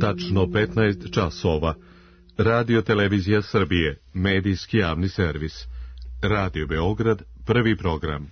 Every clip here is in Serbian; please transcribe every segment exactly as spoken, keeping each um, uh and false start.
Tačno petnaest časova. Radio Televizija Srbije, medijski javni servis. Radio Beograd, prvi program.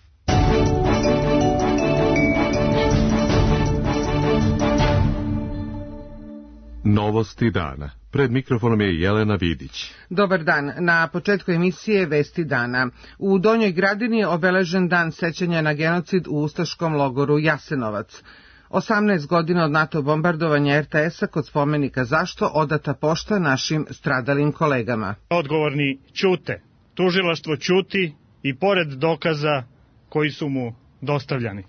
Novosti dana. Pred mikrofonom je Jelena Vidić. Dobar dan. Na početku emisije Vesti dana. U Donjoj Gradini je obeležen dan sećanja na genocid u ustaškom logoru Jasenovac. osamnaest godina od NATO bombardovanja er te es-a kod spomenika Zašto odata pošta našim stradalim kolegama. Odgovorni ćute. Tužilaštvo ćuti i pored dokaza koji su mu dostavljani.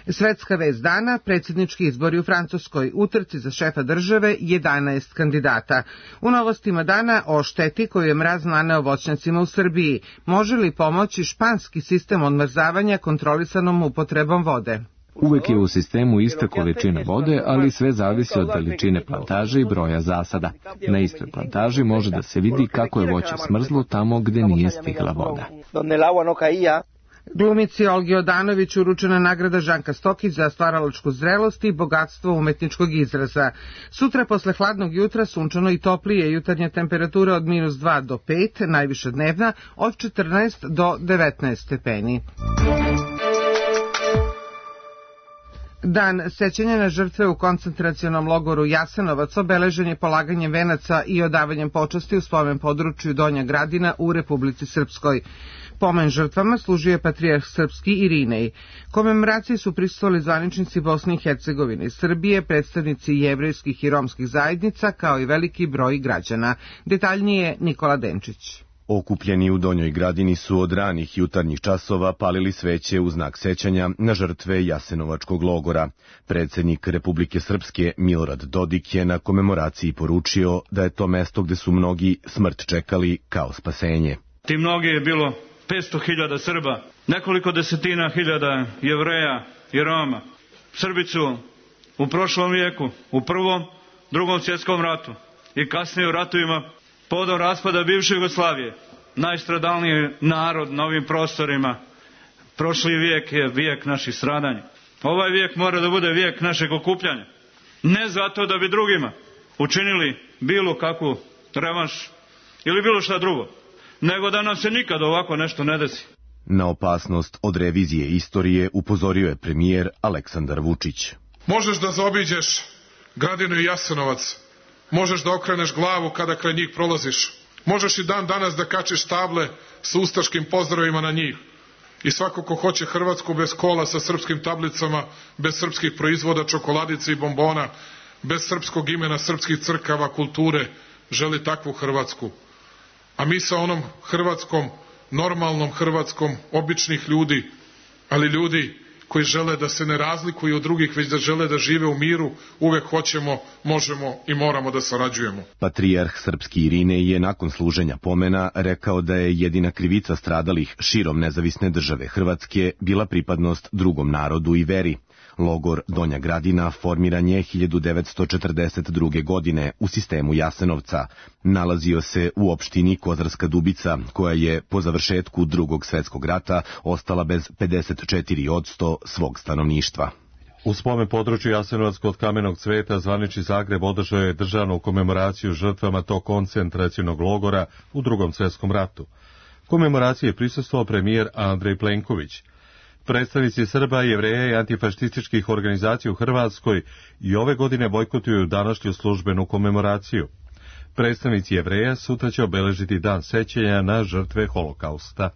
Svetska vest dana, predsjednički izbori u Francuskoj, u trci za šefa države jedanaest kandidata. U novostima dana o šteti koju je mraz naneo voćnjacima u Srbiji. Može li pomoći španski sistem odmrzavanja kontrolisanom upotrebom vode? Uvek je u sistemu ista količina vode, ali sve zavisi od veličine plantaže i broja zasada. Na istoj plantaži može da se vidi kako je voće smrzlo tamo gde nije stigla voda. Glumici Olgi Odanović uručena nagrada Žanka Stokić za stvaralačku zrelost i bogatstvo umetničkog izraza. Sutra posle hladnog jutra sunčano i toplije, jutarnja temperatura od minus dva do pet, najviša dnevna od četrnaest do devetnaest stepeni. Dan sećanja na žrtve u koncentracionom logoru Jasenovac obeležen je polaganjem venaca i odavanjem počasti u spomen području Donja Gradina u Republici Srpskoj. Pomen žrtvama služio je patrijarh srpski Irinej. Komemoraciji su prisustvovali zvaničnici Bosne i Hercegovine i Srbije, predstavnici jevrejskih i romskih zajednica, kao i veliki broj građana. Detaljnije Nikola Denčić. Okupljeni u Donjoj Gradini su od ranih jutarnjih časova palili sveće u znak sećanja na žrtve Jasenovačkog logora. Predsjednik Republike Srpske Milorad Dodik je na komemoraciji poručio da je to mesto gde su mnogi smrt čekali kao spasenje. Ti mnogi je bilo petsto hiljada Srba, nekoliko desetina hiljada Jevreja i Roma. Srbi su u prošlom vijeku, u prvom, drugom svjetskom ratu i kasnije u ratovima povodom raspada bivše Jugoslavije, najstradalniji narod na ovim prostorima. Prošli vijek je vijek naših stradanja. Ovaj vijek mora da bude vijek našeg okupljanja. Ne zato da bi drugima učinili bilo kakvu revanš ili bilo šta drugo, nego da nam se nikad ovako nešto ne desi. Na opasnost od revizije istorije upozorio je premijer Aleksandar Vučić. Možeš da zaobiđeš Gradinu i Jasenovac, možeš da okreneš glavu kada kraj njih prolaziš, možeš i dan danas da kačiš table sa ustaškim pozdravima na njih. I svako ko hoće Hrvatsku bez kola sa srpskim tablicama, bez srpskih proizvoda, čokoladice i bombona, bez srpskog imena, srpskih crkava, kulture, želi takvu Hrvatsku. A mi sa onom Hrvatskom, normalnom Hrvatskom, običnih ljudi, ali ljudi koji žele da se ne razlikuju od drugih, već da žele da žive u miru, uvek hoćemo, možemo i moramo da sarađujemo. Patrijarh srpski Irinej je nakon služenja pomena rekao da je jedina krivica stradalih širom nezavisne države Hrvatske bila pripadnost drugom narodu i veri. Logor Donja Gradina formiran je hiljadu devetsto četrdeset druge. godine u sistemu Jasenovca. Nalazio se u opštini Kozarska Dubica, koja je po završetku Drugog svjetskog rata ostala bez pedeset četiri posto svog stanovništva. U spomen području Jasenovac kod Kamenog cveta zvanični Zagreb održao je državnu komemoraciju žrtvama tog koncentracionog logora u Drugom svjetskom ratu. Komemoraciji je prisustvovao premijer Andrej Plenković. Predstavnici Srba, Jevreja i antifašističkih organizacija u Hrvatskoj i ove godine bojkotuju današnju službenu komemoraciju. Predstavnici Jevreja sutra će obeležiti dan sećanja na žrtve Holokausta.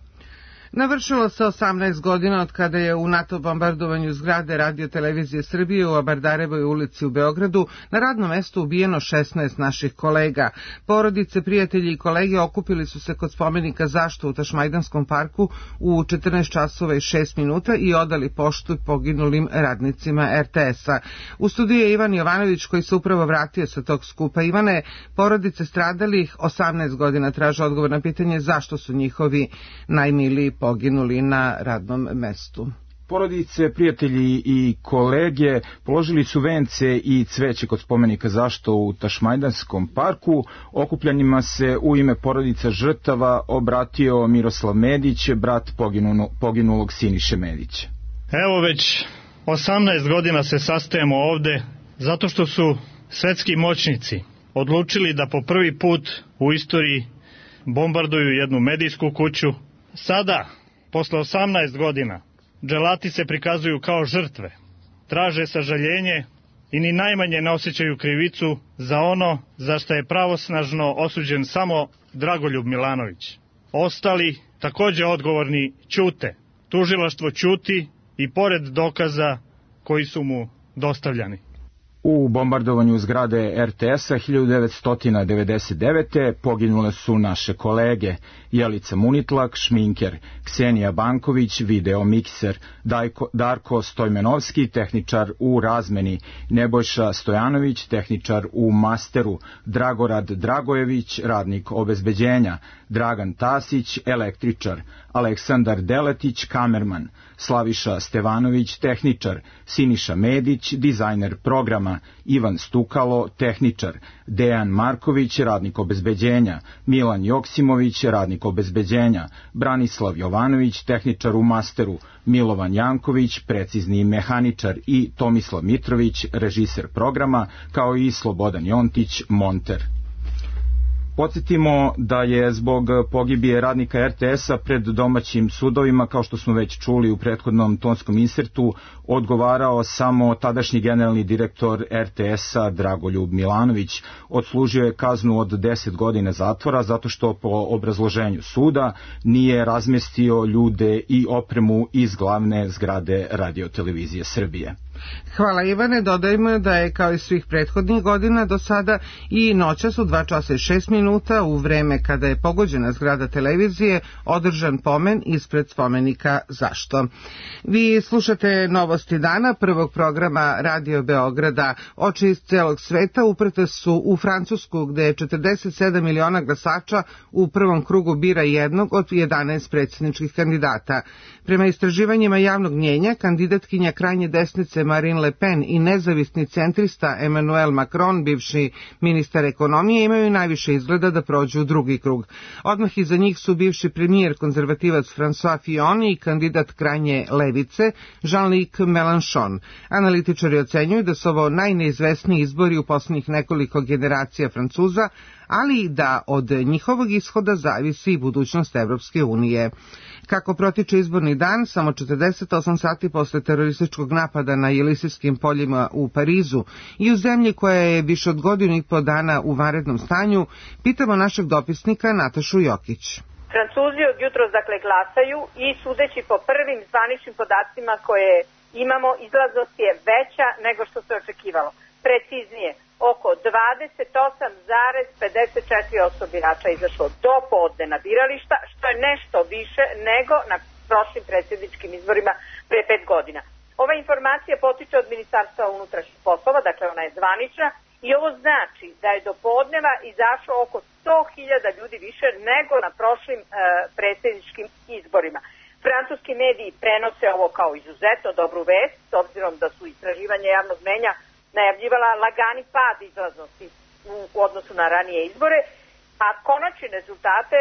Navršilo se osamnaest godina od kada je u NATO bombardovanju zgrade Radio Televizije Srbije u Abardarevoj ulici u Beogradu na radnom mestu ubijeno šesnaest naših kolega. Porodice, prijatelji i kolege okupili su se kod spomenika Zašto u Tašmajdanskom parku u četrnaest časova i šest minuta i odali poštu poginulim radnicima er te es-a. U studiju je Ivan Jovanović koji se upravo vratio sa tog skupa. Ivane, porodice stradalih osamnaest godina traže odgovor na pitanje zašto su njihovi najmiliji poginuli na radnom mestu. Porodice, prijatelji i kolege položili su vence i cveće kod spomenika Zašto u Tašmajdanskom parku. Okupljanjima se u ime porodica žrtava obratio Miroslav Medić, brat poginulog Siniše Medića. Evo već osamnaest godina se sastajemo ovde zato što su svetski moćnici odlučili da po prvi put u istoriji bombarduju jednu medijsku kuću. Sada, posle osamnaest godina, dželati se prikazuju kao žrtve, traže sažaljenje i ni najmanje ne osjećaju krivicu za ono za što je pravosnažno osuđen samo Dragoljub Milanović. Ostali, takođe odgovorni, ćute. Tužilaštvo ćuti i pored dokaza koji su mu dostavljani. U bombardovanju zgrade er te es-a hiljadu devetsto devedeset devete. poginule su naše kolege Jelica Munitlak, šminker, Ksenija Banković, videomikser, Dajko, Darko Stojmenovski, tehničar u razmeni, Nebojša Stojanović, tehničar u masteru, Dragorad Dragojević, radnik obezbeđenja, Dragan Tasić, električar, Aleksandar Deletić, kamerman, Slaviša Stevanović, tehničar, Siniša Medić, dizajner programa, Ivan Stukalo, tehničar, Dejan Marković, radnik obezbeđenja, Milan Joksimović, radnik obezbeđenja, Branislav Jovanović, tehničar u masteru, Milovan Janković, precizni mehaničar i Tomislav Mitrović, režiser programa, kao i Slobodan Jontić, monter. Podsjetimo da je zbog pogibije radnika er te es-a pred domaćim sudovima, kao što smo već čuli u prethodnom tonskom insertu, odgovarao samo tadašnji generalni direktor er te es-a Dragoljub Milanović. Odslužio je kaznu od deset godina zatvora zato što po obrazloženju suda nije razmestio ljude i opremu iz glavne zgrade Radio-televizije Srbije. Hvala Ivane, dodajmo da je kao i svih prethodnih godina do sada i noćas u dva časa i šest minuta u vreme kada je pogođena zgrada televizije održan pomen ispred spomenika Zašto. Vi slušate Novosti dana, prvog programa Radio Beograda. Oči iz celog sveta uprte su u Francusku gde je četrdeset sedam miliona glasača u prvom krugu bira jednog od jedanaest predsjedničkih kandidata. Prema istraživanjima javnog mnjenja, kandidatkinja krajnje desnice Marine Le Pen i nezavisni centrista Emmanuel Macron, bivši ministar ekonomije, imaju najviše izgleda da prođu u drugi krug. Odmah iza njih su bivši premijer konzervativac François Fillon i kandidat krajnje levice Jean-Luc Mélenchon. Analitičari ocenjuju da su ovo najneizvesniji izbori u poslednjih nekoliko generacija Francuza, ali da od njihovog ishoda zavisi i budućnost Evropske unije. Kako protiče izborni dan, samo četrdeset osam sati posle terorističkog napada na Jelisejskim poljima u Parizu i u zemlji koja je više od godinu i po dana u vanrednom stanju, pitamo našeg dopisnika Natašu Jokić. Francuzi od jutros dakle glasaju i sudeći po prvim zvaničnim podacima koje imamo, izlaznost je veća nego što se očekivalo. Preciznije, oko dvadeset osam zarez pedeset četiri posto birača izašlo do podne na birališta, što je nešto više nego na prošlim predsjedničkim izborima pre pet godina. Ova informacija potiče od Ministarstva unutrašnjih poslova, dakle ona je zvanična, i ovo znači da je do podneva izašlo oko sto hiljada ljudi više nego na prošlim e, predsjedničkim izborima. Francuski mediji prenose ovo kao izuzetno dobru vest, s obzirom da su istraživanja javnog mnjenja najavljivala lagani pad izlaznosti u odnosu na ranije izbore, a konačne rezultate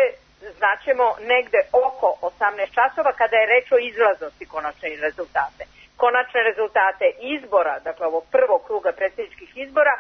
znaćemo negde oko osamnaest časova kada je reč o izlaznosti konačne rezultate. Konačne rezultate izbora, dakle ovog prvog kruga predsjedničkih izbora,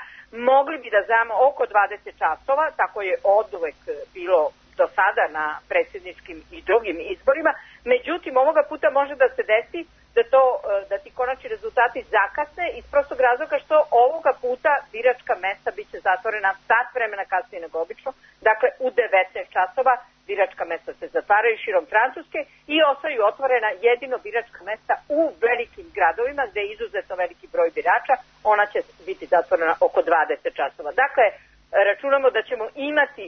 mogli bi da znamo oko dvadeset časova, tako je oduvek bilo do sada na predsjedničkim i drugim izborima, međutim ovoga puta može da se desi da, to, da ti konačni rezultati zakasne iz prostog razloga što ovoga puta biračka mesta biće zatvorena sat vremena kasnije nego obično, dakle u devetnaest časova biračka mesta se zatvaraju širom Francuske i ostaju otvorena jedino biračka mesta u velikim gradovima gde je izuzetno veliki broj birača, ona će biti zatvorena oko dvadeset časova. Dakle, računamo da ćemo imati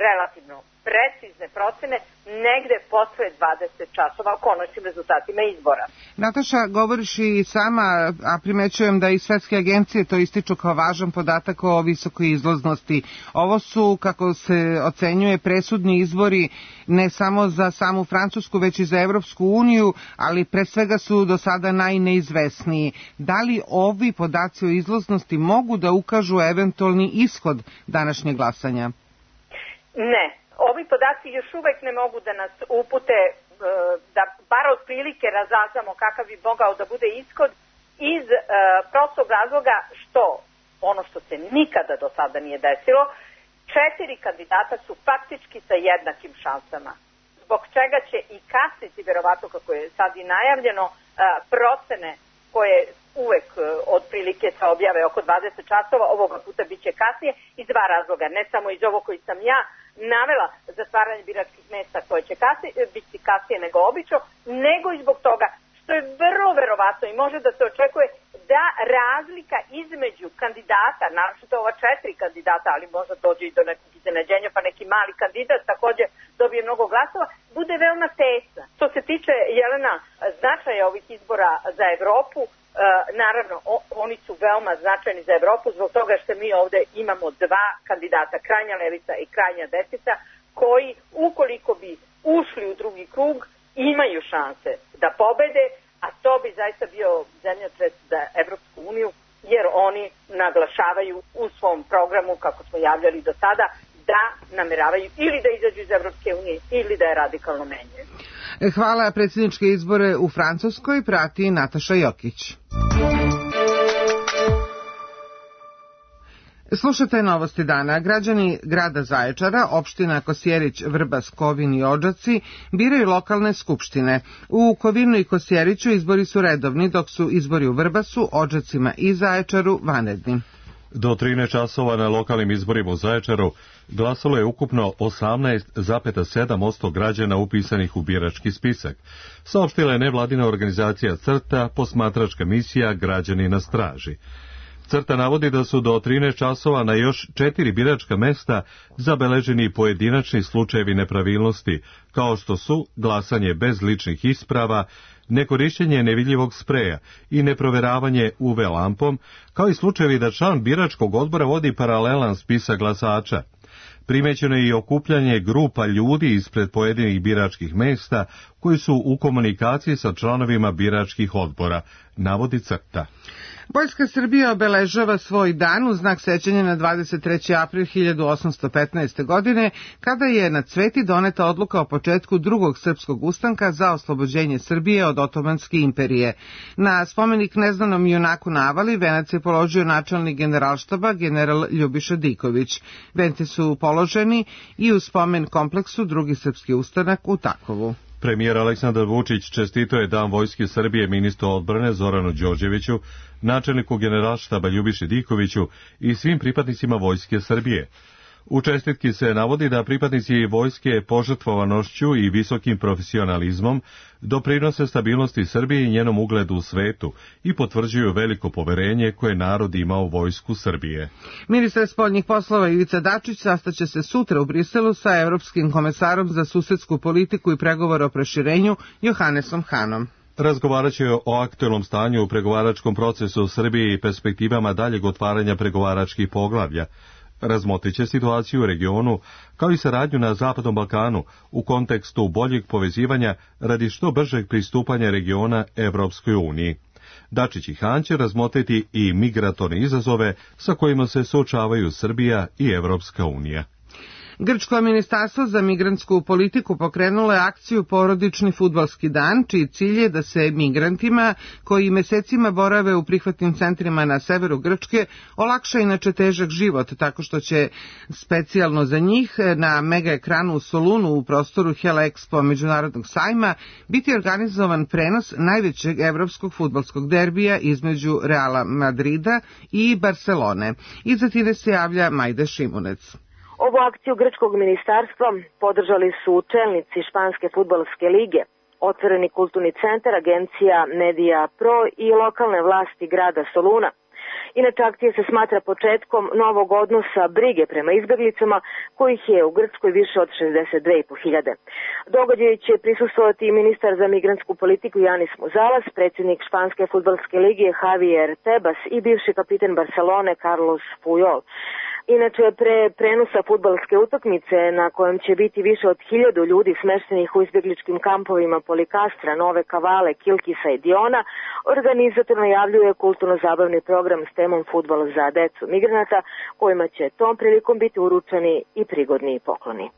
relativno precizne procene negde posle dvadeset časova o konačnim rezultatima izbora. Nataša, govoriš i sama, a primećujem da i svetske agencije to ističu kao važan podatak o visokoj izlaznosti. Ovo su, kako se ocenjuje, presudni izbori ne samo za samu Francusku, već i za Evropsku uniju, ali pre svega su do sada najneizvesniji. Da li ovi podaci o izlaznosti mogu da ukažu eventualni ishod današnjeg glasanja? Ne. Ovi podaci još uvek ne mogu da nas upute, da bar od prilike razaznamo kakav bi mogao da bude ishod iz prostog razloga što ono što se nikada do sada nije desilo, četiri kandidata su faktički sa jednakim šansama. Zbog čega će i kasniti, verovatno kako je sad i najavljeno, procene koje uvek otprilike se objave oko dvadeset časova, ovoga puta bit će kasnije, iz dva razloga. Ne samo iz ovo koji sam ja navela, zatvaranje biračkih mesta koje će kasnije, biti kasnije nego obično, nego i zbog toga što je vrlo verovatno i može da se očekuje da razlika između kandidata, naročito ova četiri kandidata, ali možda dođe i do nekog iznenađenja, pa neki mali kandidat takođe dobije mnogo glasova, bude veoma tesna. Što se tiče, Jelena, značaja ovih izbora za Evropu, e, naravno, o, oni su veoma značajni za Evropu zbog toga što mi ovde imamo dva kandidata, krajnja levica i krajnja desnica, koji, ukoliko bi ušli u drugi krug, imaju šanse da pobede, a to bi zaista bio zemljotres za Evropsku uniju, jer oni naglašavaju u svom programu, kako smo javljali do sada, da nameravaju ili da izađu iz Evropske unije ili da je radikalno menjaju. Hvala. Predsjedničke izbore u Francuskoj prati Nataša Jokić. Slušajte novosti dana. Građani grada Zaječara, opština Kosjerić, Vrbas, Kovin i Odžaci biraju lokalne skupštine. U Kovinu i Kosjeriću izbori su redovni, dok su izbori u Vrbasu, Odžacima i Zaječaru vanredni. Do trinaest časova na lokalnim izborima u Zaječaru glasalo je ukupno osamnaest zarez sedam posto građana upisanih u birački spisak. Saopštila je nevladina organizacija CRTA, posmatračka misija Građani na straži. CRTA navodi da su do trinaest časova na još četiri biračka mesta zabeleženi pojedinačni slučajevi nepravilnosti, kao što su glasanje bez ličnih isprava, nekorišćenje nevidljivog spreja i neproveravanje U V lampom, kao i slučajevi da član biračkog odbora vodi paralelan spisak glasača. Primećeno je i okupljanje grupa ljudi ispred pojedinih biračkih mesta koji su u komunikaciji sa članovima biračkih odbora, navodi CRTA. Vojska Srbije obeležava svoj dan u znak sećanja na dvadeset treći april hiljadu osamsto petnaeste. godine, kada je na Cveti doneta odluka o početku drugog srpskog ustanka za oslobođenje Srbije od Otomanske imperije. Na spomenik neznanom junaku navali venac je položio načelnik generalštaba general Ljubiša Diković. Venci su položeni i u spomen kompleksu drugi srpski ustanak u Takovu. Premijer Aleksandar Vučić čestitao je Dan Vojske Srbije ministru odbrane Zoranu Đorđeviću, načelniku generalštaba Ljubiši Dikoviću i svim pripadnicima Vojske Srbije. U čestitki se navodi da pripadnici vojske požrtvovanošću i visokim profesionalizmom doprinose stabilnosti Srbije i njenom ugledu u svetu i potvrđuju veliko poverenje koje narod ima u Vojsku Srbije. Ministar spoljnih poslova Ivica Dačić sastaće se sutra u Briselu sa Evropskim komesarom za susedsku politiku i pregovore o proširenju Johannesom Hanom. Razgovarat će o aktuelnom stanju u pregovaračkom procesu u Srbiji i perspektivama daljeg otvaranja pregovaračkih poglavlja. Razmotrit će situaciju u regionu, kao i saradnju na Zapadnom Balkanu u kontekstu boljeg povezivanja radi što bržeg pristupanja regiona Evropskoj uniji. Dačić i Han će razmotriti i migratorne izazove sa kojima se suočavaju Srbija i Evropska unija. Grčko ministarstvo za migrantsku politiku pokrenulo je akciju Porodični fudbalski dan, čiji cilj je da se migrantima koji mesecima borave u prihvatnim centrima na severu Grčke olakša inače težak život, tako što će specijalno za njih na mega ekranu u Solunu u prostoru Hela Expo međunarodnog sajma biti organizovan prenos najvećeg evropskog fudbalskog derbija između Reala Madrida i Barcelone. Iza tine se javlja Majda Šimunec. Ovu akciju grčkog ministarstva podržali su čelnici Španske fudbalske lige, Otvoreni kulturni centar, agencija Media Pro i lokalne vlasti grada Soluna. Inače, akcija se smatra početkom novog odnosa brige prema izbjeglicama, kojih je u Grčkoj više od šezdeset dve i po hiljade. Događaj će prisustvovati i ministar za migrantsku politiku Janis Muzalas, predsjednik Španske fudbalske lige Javier Tebas i bivši kapiten Barcelone Carlos Puyol. Inače, pre prenosa fudbalske utakmice, na kojem će biti više od hiljadu ljudi smeštenih u izbjegličkim kampovima Polikastra, Nove Kavale, Kilkisa i Diona, organizator najavljuje kulturno-zabavni program s temom fudbal za decu migranata, kojima će tom prilikom biti uručeni i prigodni pokloni.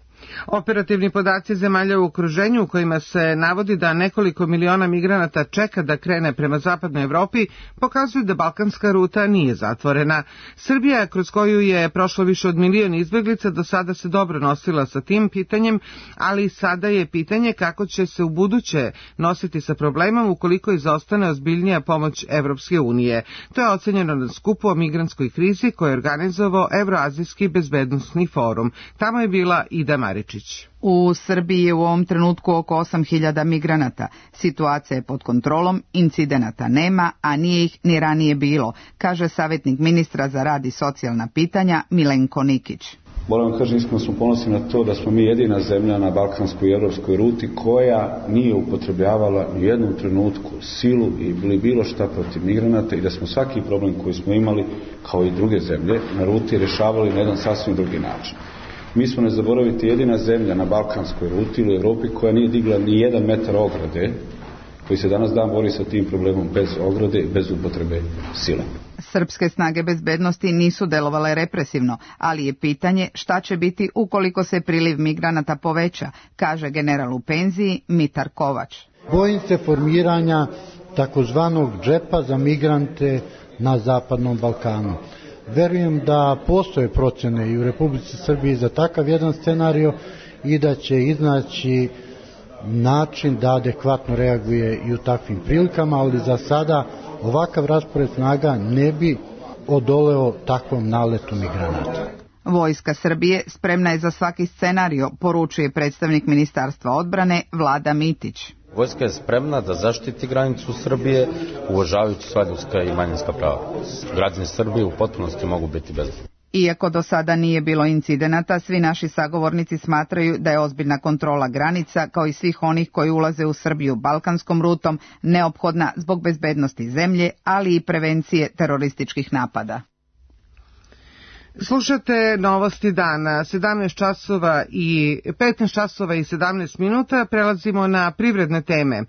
Operativni podaci zemalja u okruženju u kojima se navodi da nekoliko miliona migranata čeka da krene prema zapadnoj Evropi pokazuju da balkanska ruta nije zatvorena. Srbija, kroz koju je prošlo više od milion izbeglica, do sada se dobro nosila sa tim pitanjem, ali sada je pitanje kako će se u buduće nositi sa problemom ukoliko izostane ozbiljnija pomoć Evropske unije. To je ocenjeno na skupu o migrantskoj krizi koje je organizovao Evroazijski bezbednosni forum. Tamo je bila Ida Maričić. U Srbiji je u ovom trenutku oko osam hiljada migranata. Situacija je pod kontrolom, incidenata nema, a nije ih ni ranije bilo, kaže savjetnik ministra za rad i socijalna pitanja Milenko Nikić. Moram vam kažem, iskreno smo ponosni na to da smo mi jedina zemlja na balkanskoj i evropskoj ruti koja nije upotrebljavala u jednom trenutku silu ili bilo šta protiv migranata i da smo svaki problem koji smo imali, kao i druge zemlje, na ruti rješavali na jedan sasvim drugi način. Mi smo, ne zaboraviti, jedina zemlja na balkanskoj ruti ili Evropi koja nije digla ni jedan metar ograde, koji se danas dan bori sa tim problemom bez ograde i bez upotrebe sile. Srpske snage bezbednosti nisu delovale represivno, ali je pitanje šta će biti ukoliko se priliv migranata poveća, kaže general u penziji Mitar Kovač. Bojim se formiranja takozvanog džepa za migrante na Zapadnom Balkanu. Verujem da postoje procene i u Republici Srbiji za takav jedan scenario i da će iznaći način da adekvatno reaguje i u takvim prilikama, ali za sada ovakav raspored snaga ne bi odoleo takvom naletu migranata. Vojska Srbije spremna je za svaki scenario, poručuje predstavnik Ministarstva odbrane Vlada Mitić. Vojska je spremna da zaštiti granicu Srbije, uvažavajući sva ljudska i manjinska prava. Građani Srbije u potpunosti mogu biti bezbedni. Iako do sada nije bilo incidenata, svi naši sagovornici smatraju da je ozbiljna kontrola granica, kao i svih onih koji ulaze u Srbiju balkanskom rutom, neophodna zbog bezbednosti zemlje, ali i prevencije terorističkih napada. Slušate novosti dana, sedamnaest časova i petnaest časova i sedamnaest minuta, prelazimo na privredne teme.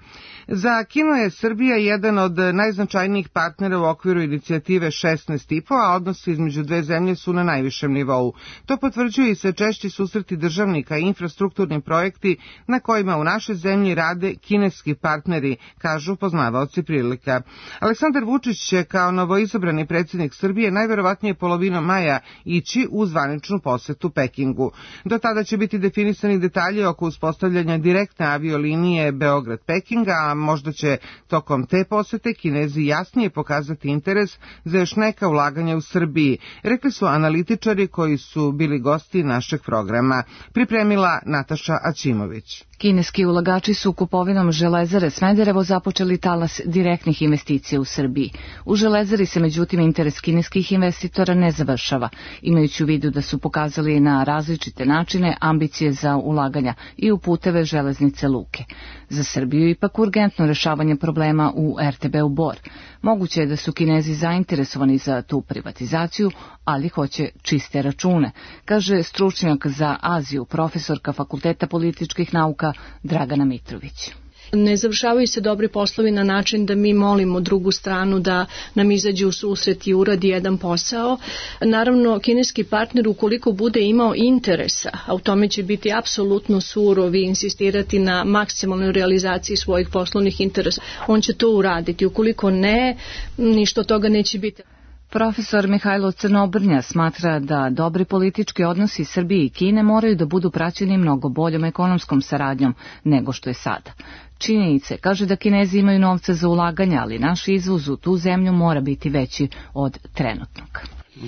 Za Kinu je Srbija jedan od najznačajnijih partnera u okviru inicijative šesnaest i po, a odnosi između dve zemlje su na najvišem nivou. To potvrđuju i sve češći susreti državnika i infrastrukturni projekti na kojima u našoj zemlji rade kineski partneri, kažu poznavaoci prilika. Aleksandar Vučić će kao novoizabrani predsjednik Srbije najverovatnije polovinom maja ići u zvaničnu posetu Pekingu. Do tada će biti definisani detalji oko uspostavljanja direktne aviolinije Beograd-Peking, a možda će tokom te posete Kinezi jasnije pokazati interes za još neka ulaganja u Srbiji, rekli su analitičari koji su bili gosti našeg programa. Pripremila Nataša Aćimović. Kineski ulagači su kupovinom Železare Smederevo započeli talas direktnih investicija u Srbiji. U Železari se međutim interes kineskih investitora ne završava, imajući u vidu da su pokazali na različite načine ambicije za ulaganja i u puteve, železnice, luke. Za Srbiju ipak urgentno rešavanje problema u er te be u Bor. Moguće je da su Kinezi zainteresovani za tu privatizaciju, ali hoće čiste račune, kaže stručnjak za Aziju, profesorka Fakulteta političkih nauka Dragana Mitrović. Ne završavaju se dobri poslovi na način da mi molimo drugu stranu da nam izađe u susret i uradi jedan posao. Naravno, kineski partner, ukoliko bude imao interesa, a u tome će biti apsolutno surov i insistirati na maksimalnoj realizaciji svojih poslovnih interesa, on će to uraditi. Ukoliko ne, ništa od toga neće biti. Profesor Mihajlo Crnobrnja smatra da dobri politički odnosi Srbije i Kine moraju da budu praćeni mnogo boljom ekonomskom saradnjom nego što je sada. Činjenice kaže da Kinezi imaju novca za ulaganja, ali naš izvoz u tu zemlju mora biti veći od trenutnog.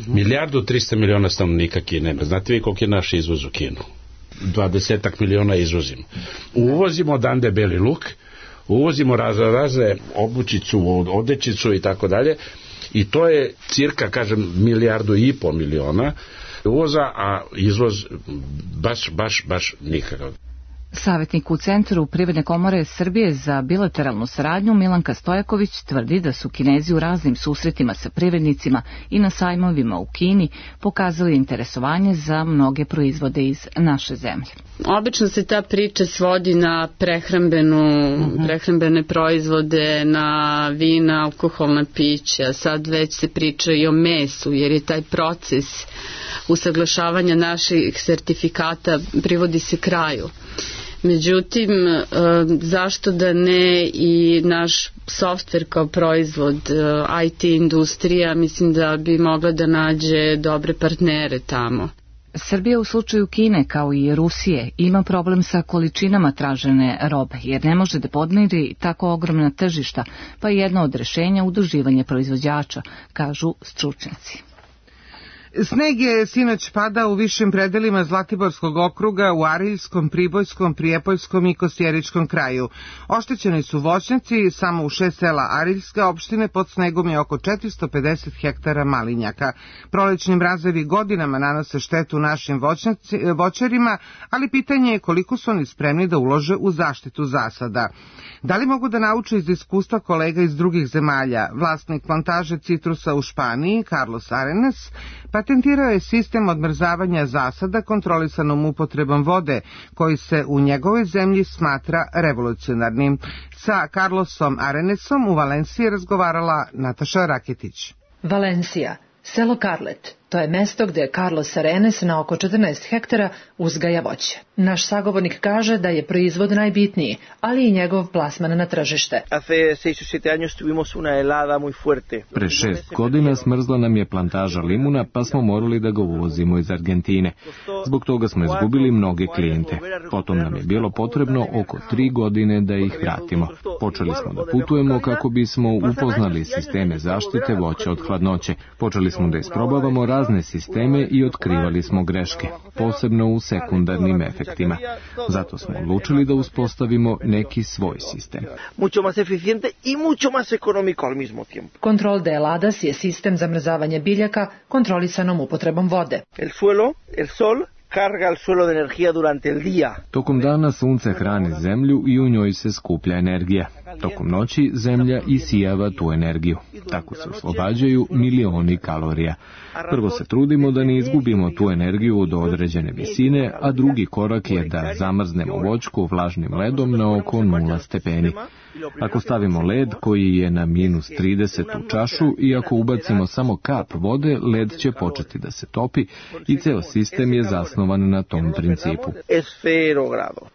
Milijardu trista miliona stanovnika Kine. Znate vi koliko je naš izvoz u Kinu? Dvadesetak miliona izvozimo. Uvozimo odande beli luk, uvozimo razne razne obućicu, odećicu i tako dalje. I to je cirka, kažem, milijardu i pol miliona uvoza, a izvoz baš, baš, baš nikakav. Savjetnik u Centru Privredne komore Srbije za bilateralnu saradnju Milanka Stojaković tvrdi da su Kinezi u raznim susretima sa privrednicima i na sajmovima u Kini pokazali interesovanje za mnoge proizvode iz naše zemlje. Obično se ta priča svodi na prehrambenu, uh-huh. prehrambene proizvode, na vina, alkoholna pića. Sad već se priča i o mesu, jer je taj proces usaglašavanja naših sertifikata privodi se kraju. Međutim, zašto da ne i naš softver kao proizvod, I T industrija, mislim da bi mogla da nađe dobre partnere tamo. Srbija u slučaju Kine, kao i Rusije, ima problem sa količinama tražene robe, jer ne može da podmiri tako ogromna tržišta, pa je jedno od rešenja udruživanje proizvođača, kažu stručnjaci. Sneg je sinoć padao u višim predelima Zlatiborskog okruga, u Ariljskom, Pribojskom, Prijepoljskom i Kostjeričkom kraju. Oštećeni su voćnjaci, samo u šest sela Ariljske opštine pod snegom je oko četiristo pedeset hektara malinjaka. Prolećni mrazevi godinama nanose štetu našim voćarima, ali pitanje je koliko su oni spremni da ulože u zaštitu zasada. Da li mogu da nauče iz iskustva kolega iz drugih zemalja? Vlasnik plantaže citrusa u Španiji, Carlos Arenas, patentirao je sistem odmrzavanja zasada kontrolisanom upotrebom vode, koji se u njegovoj zemlji smatra revolucionarnim. Sa Carlosom Arenesom u Valenciji razgovarala Nataša Raketić. Valencija, selo Carlet. To je mesto gde Carlos Arenes na oko četrnaest hektara uzgaja voće. Naš sagovornik kaže da je proizvod najbitniji, ali i njegov plasman na tržište. Pre šest godina smrzla nam je plantaža limuna, pa smo morali da ga uvozimo iz Argentine. Zbog toga smo izgubili mnoge klijente. Potom nam je bilo potrebno oko tri godine da ih vratimo. Počeli smo da putujemo kako bismo upoznali sisteme zaštite voća od hladnoće. Počeli smo da isprobavamo razne sisteme i otkrivali smo greške, posebno u sekundarnim efektima. Zato smo odlučili da uspostavimo neki svoj sistem. Control de heladas je sistem zamrzavanja biljaka kontrolisanom upotrebom vode. Tokom dana sunce hrani zemlju i u njoj se skuplja energija. Tokom noći zemlja isijava tu energiju. Tako se oslobađaju milioni kalorija. Prvo se trudimo da ne izgubimo tu energiju do određene visine, a drugi korak je da zamrznemo voćku vlažnim ledom na oko nula stepeni. Ako stavimo led koji je na minus trideset u čašu i ako ubacimo samo kap vode, led će početi da se topi i ceo sistem je zasnovan na tom principu.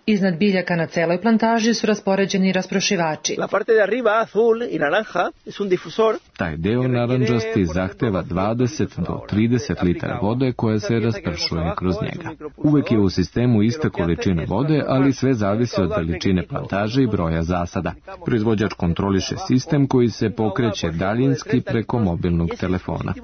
Iznad biljaka na celoj plantaži su raspoređeni rasprošivači. Taj deo narandžasti zahteva dvadeset do trideset litara vode koja se raspršuje kroz njega. Uvek je u sistemu ista količina vode, ali sve zavisi od veličine plantaže i broja zasada. Proizvođač kontroliše sistem koji se pokreće daljinski preko mobilnog telefona.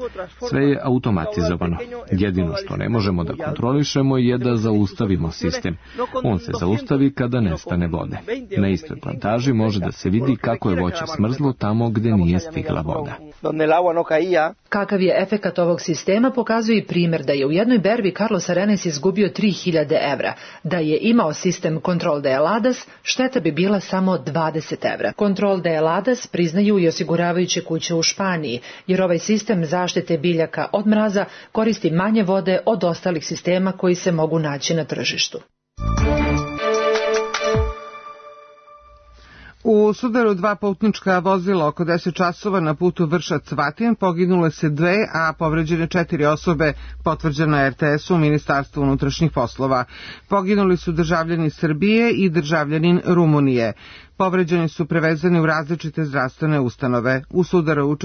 Sve je automatizovano. Jedino što ne možemo da kontrolišemo je da zaustavimo sistem. On se zaustavi kada nestane vode. Na istoj plantaži može da se vidi kako je voće smrzlo tamo gde nije stigla voda. Kakav je efekat ovog sistema pokazuje i primjer da je u jednoj berbi Carlos Arenes izgubio tri hiljade evra. Da je imao sistem Control de heladas, šteta bi bila samo dvadeset evra. Control de heladas priznaju i osiguravajuće kuće u Španiji, jer ovaj sistem zaštite biljaka od mraza koristi manje vode od ostalih sistema koji se mogu naći na tržištu. U sudaru dva putnička vozila oko deset časova na putu Vršac-Vatin poginule se dve, a povređene četiri osobe, potvrđeno je R T S-u, Ministarstvu unutrašnjih poslova. Poginuli su državljani Srbije i državljanin Rumunije. Povređeni su prevezani u različite zdravstvene ustanove. U sudaru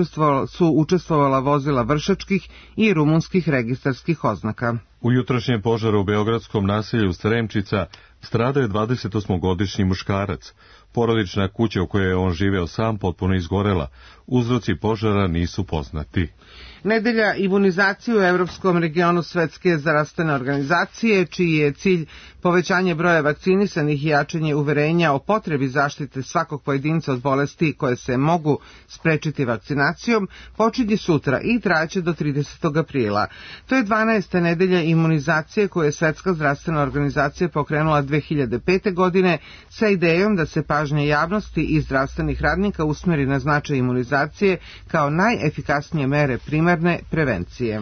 su učestvovala vozila vršačkih i rumunskih registarskih oznaka. U jutrošnjem požaru u beogradskom naselju Sremčica stradao je dvadesetosmogodišnji muškarac. Porodična kuća u kojoj je on živeo sam potpuno izgorela. Uzroci požara nisu poznati. Nedelja imunizacije u Evropskom regionu Svetske zdravstvene organizacije, čiji je cilj povećanje broja vakcinisanih i jačanje uverenja o potrebi zaštite svakog pojedinca od bolesti koje se mogu sprečiti vakcinacijom, počinje sutra i trajaće do tridesetog aprila. To je dvanaesta nedelja imunizacije koju je Svetska zdravstvena organizacija pokrenula dve hiljade pete. godine sa idejom da se pažnja javnosti i zdravstvenih radnika usmeri na značaj imunizacije kao najefikasnije mere primarne prevencije.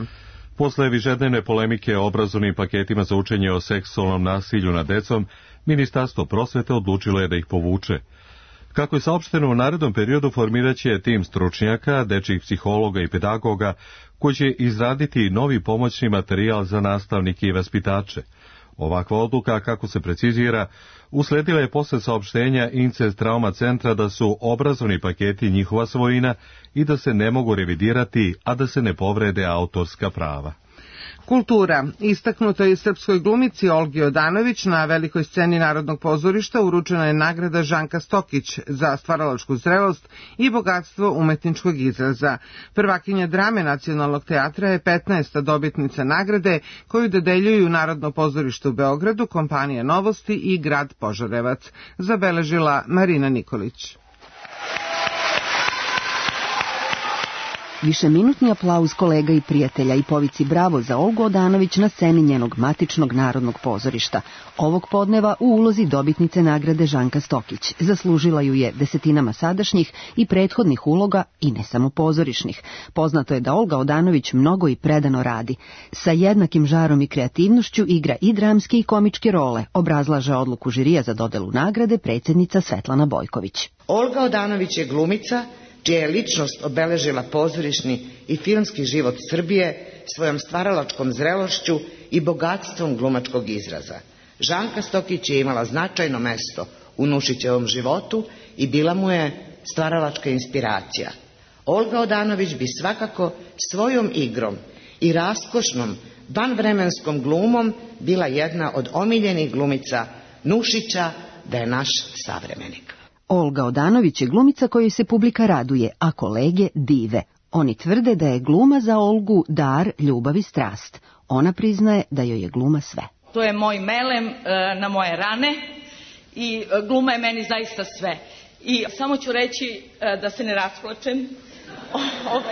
Posle višednevne polemike o obrazovnim paketima za učenje o seksualnom nasilju nad decom, Ministarstvo prosvete odlučilo je da ih povuče. Kako je saopšteno, u narednom periodu formirat će tim stručnjaka, dečjih psihologa i pedagoga, koji će izraditi novi pomoćni materijal za nastavnike i vaspitače. Ovakva odluka, kako se precizira, usledila je posle saopštenja Incest Trauma centra da su obrazovni paketi njihova svojina i da se ne mogu revidirati, a da se ne povrede autorska prava. Kultura. Istaknuto je srpskoj glumici Olgi Odanović na velikoj sceni Narodnog pozorišta uručena je nagrada Žanka Stokić za stvaralačku zrelost i bogatstvo umetničkog izraza. Prvakinja drame Nacionalnog teatra je petnaesta dobitnica nagrade koju dodeljuju Narodno pozorište u Beogradu, kompanija Novosti i grad Požarevac, zabeležila Marina Nikolić. Višeminutni aplauz kolega i prijatelja i povici bravo za Olgu Odanović na sceni njenog matičnog Narodnog pozorišta. Ovog podneva u ulozi dobitnice nagrade Žanka Stokić. Zaslužila ju je desetinama sadašnjih i prethodnih uloga i ne samo pozorišnih. Poznato je da Olga Odanović mnogo i predano radi. Sa jednakim žarom i kreativnošću igra i dramske i komičke role, obrazlaže odluku žirija za dodelu nagrade predsjednica Svetlana Bojković. Olga Odanović je glumica čija je ličnost obeležila pozorišni i filmski život Srbije svojom stvaralačkom zrelošću i bogatstvom glumačkog izraza. Žanka Stokić je imala značajno mesto u Nušićevom životu i bila mu je stvaralačka inspiracija. Olga Odanović bi svakako svojom igrom i raskošnom vanvremenskom glumom bila jedna od omiljenih glumica Nušića, da je naš savremenik. Olga Odanović je glumica kojoj se publika raduje, a kolege dive. Oni tvrde da je gluma za Olgu dar, ljubav i strast. Ona priznaje da joj je gluma sve. To je moj melem na moje rane i gluma je meni zaista sve. I samo ću reći da se ne rasplačem.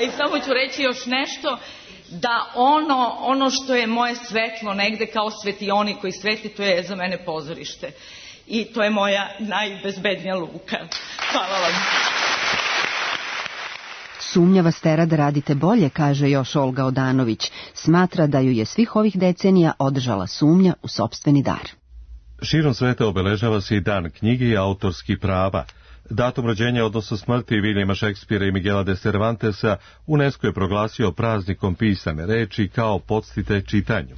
I samo ću reći još nešto, da ono, ono što je moje svetlo negde kao svetioni koji sveti, to je za mene pozorište. I to je moja najbezbednija luka. Hvala vam. Sumnja vas tera da radite bolje, kaže još Olga Odanović. Smatra da ju je svih ovih decenija održala sumnja u sopstveni dar. Širom sveta obeležava se i dan knjige i autorskih prava. Datum rođenja, odnosno smrti Viljama Šekspira i Miguela de Cervantesa, UNESCO je proglasio praznikom pisane reči kao podsticaj čitanju.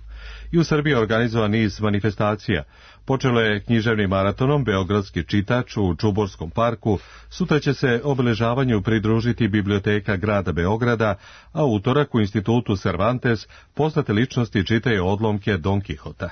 I u Srbiji je organizovan niz manifestacija. Počelo je književnim maratonom Beogradski čitač u Čuborskom parku, sutra će se obeležavanju pridružiti Biblioteka grada Beograda, a utorak u institutu Cervantes poznate ličnosti čitaju odlomke Don Kihota.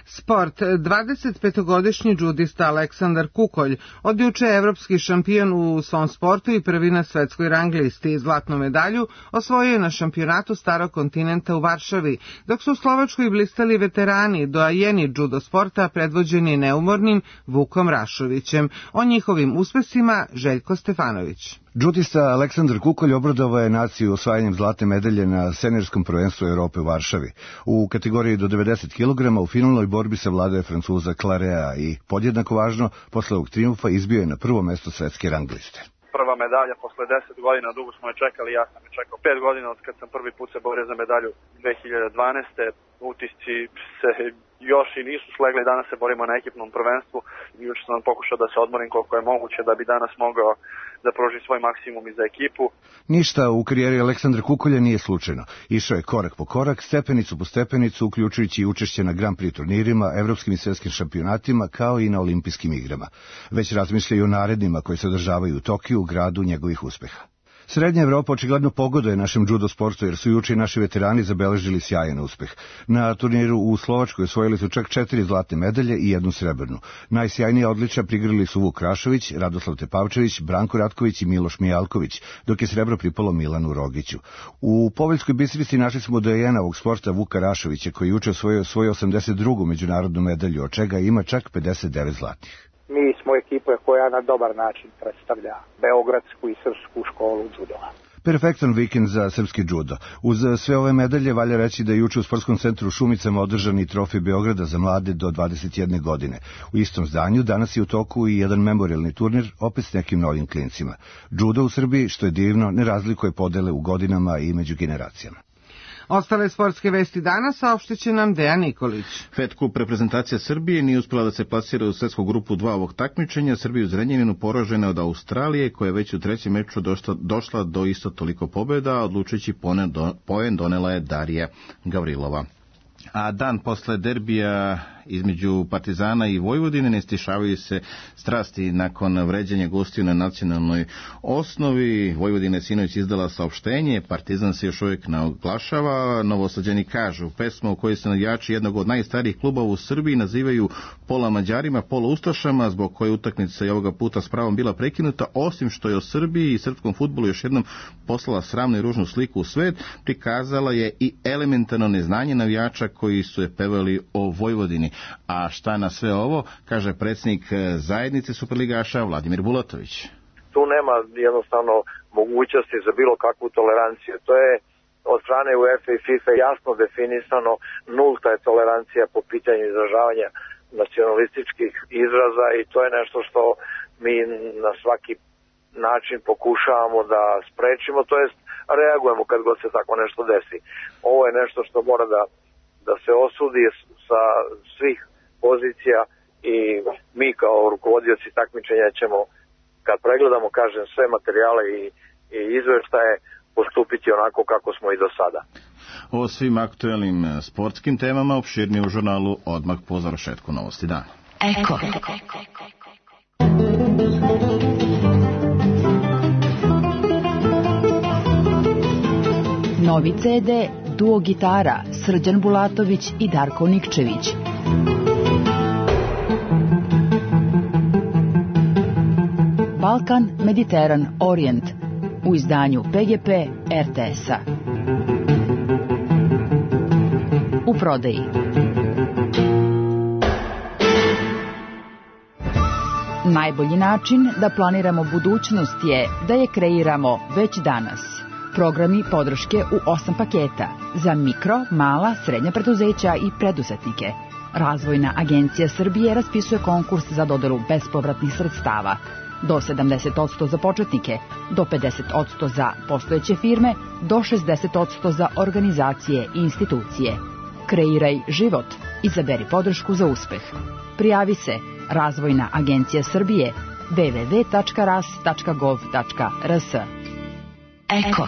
Sport. dvadesetpetogodišnji džudista Aleksandar Kukolj, od juče evropski šampion u svom sportu i prvi na svetskoj rang listi. Zlatnu medalju osvojio je na šampionatu Starog kontinenta u Varšavi, dok su u Slovačkoj blistali veterani, doajeni džudo sporta predvođeni neumornim Vukom Rašovićem. O njihovim uspesima Željko Stefanović. Džudista Aleksandar Kukolj obradovao je naciju osvajanjem zlatne medalje na seniorskom prvenstvu Evrope u Varšavi. U kategoriji do devedeset kilograma u finalnoj borbi savladao je Francuza Clarea i, podjednako važno, posle ovog trijumfa izbio je na prvo mesto svetske rang liste. Prva medalja posle deset godina, dugo smo je čekali, ja sam je čekao pet godina od kad sam prvi put se borio za medalju dve hiljade dvanaeste. Utisci se još i nisu slegli, danas se borimo na ekipnom prvenstvu. Juče sam pokušao da se odmorim koliko je moguće da bi danas mogao da pružim svoj maksimum i za ekipu. Ništa u karijeri Aleksandra Kukolja nije slučajno. Išao je korak po korak, stepenicu po stepenicu, uključujući i učešće na Grand Prix turnirima, evropskim i svjetskim šampionatima, kao i na olimpijskim igrama. Već razmišljaju o narednima koji se održavaju u Tokiju, gradu njegovih uspeha. Srednja Evropa očigledno pogoduje našem judo sportu, jer su juče i naši veterani zabeležili sjajan uspeh. Na turniru u Slovačkoj osvojili su čak četiri zlatne medalje i jednu srebrnu. Najsjajnija odličja prigrali su Vuk Rašović, Radoslav Tepavčević, Branko Ratković i Miloš Mijalković, dok je srebro pripalo Milanu Rogiću. U Poveljskoj Bistrici našli smo dojena ovog sporta Vuka Rašovića, koji juče osvojio svoju osamdeset drugu međunarodnu medalju, od čega ima čak pedeset devet zlatnih. Mi smo ekipa koja na dobar način predstavlja beogradsku i srpsku školu džudoa. Perfektan vikend za srpski džudo. Uz sve ove medalje valja reći da je juče u sportskom centru u Šumicama održan i trofej Beograda za mlade do dvadeset jedne godine. U istom zdanju danas je u toku i jedan memorialni turnir, opet s nekim novim klincima. Džudo u Srbiji, što je divno, ne razlikuje podele u godinama i među generacijama. Ostale sportske vesti danas saopštit će nam Dejan Nikolić. Fed Cup reprezentacija Srbije nije uspjela da se plasira u svetsku grupu dva ovog takmičenja. Srbija u Zrenjaninu poražena od Australije, koja je već u trećem meču došla, došla do isto toliko pobjeda, a odlučujući poen donela je Darija Gavrilova. A dan posle derbija između Partizana i Vojvodine ne stišavaju se strasti nakon vređanja gostiju na nacionalnoj osnovi. Vojvodina je sinoć izdala saopštenje, Partizan se još uvijek ne oglašava. Novosađani kažu, pesma u kojoj se navijači jednog od najstarijih klubova u Srbiji nazivaju pola Mađarima, pola Ustašama, zbog koje utakmica je ovoga puta s pravom bila prekinuta, osim što je o Srbiji i srpskom fudbalu još jednom poslala sramnu i ružnu sliku u svet, prikazala je i elementarno neznanje navijača koji su je pevali o Vojvodini. A šta na sve ovo, kaže predsjednik zajednice superligaša Vladimir Bulatović. Tu nema jednostavno mogućnosti za bilo kakvu toleranciju. To je od strane UEFA i FIFA jasno definisano, nulta je tolerancija po pitanju izražavanja nacionalističkih izraza i to je nešto što mi na svaki način pokušavamo da sprečimo, to jest reagujemo kad god se tako nešto desi. Ovo je nešto što mora da da se osudi sa svih pozicija i mi kao rukovodioci takmičenja ćemo, kad pregledamo, kažem, sve materijale i, i izveštaje, postupiti onako kako smo i do sada. O svim aktuelnim sportskim temama opširnije u žurnalu odmah po završetku Novosti dana. Eko. Novi ce de Duo gitara Srđan Bulatović i Darko Nikčević. Balkan, Mediteran, Orient u izdanju pe ge pe er te es-a. U prodaji. Najbolji način da planiramo budućnost je da je kreiramo već danas. Programi podrške u osam paketa za mikro, mala, srednja preduzeća i preduzetnike. Razvojna agencija Srbije raspisuje konkurs za dodelu bespovratnih sredstava. Do sedamdeset posto za početnike, do pedeset posto za postojeće firme, do šezdeset posto za organizacije i institucije. Kreiraj život. Izaberi podršku za uspeh. Prijavi se Razvojna agencija Srbije w w w tačka ras tačka gov tačka r s. Eko.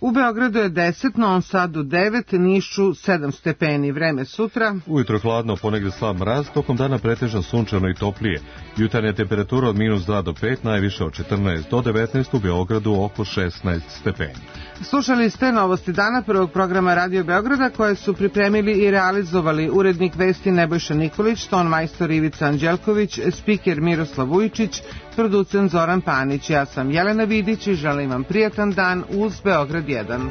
U Beogradu je deset, Novom Sadu devet, Nišu sedam stepeni. Vreme sutra. Ujutro hladno, ponegdje slab mraz, tokom dana pretežno sunčano i toplije. Jutarnja temperatura od minus dva do pet, najviše od četrnaest do devetnaest, u Beogradu oko šesnaest stepeni. Slušali ste Novosti dana prvog programa Radio Beograda, koje su pripremili i realizovali urednik vesti Nebojša Nikolić, ton majstor Ivica Anđelković, spiker Miroslav Vujčić, producent Zoran Panić. Ja sam Jelena Vidić i želim vam prijatan dan uz Beograd jedan.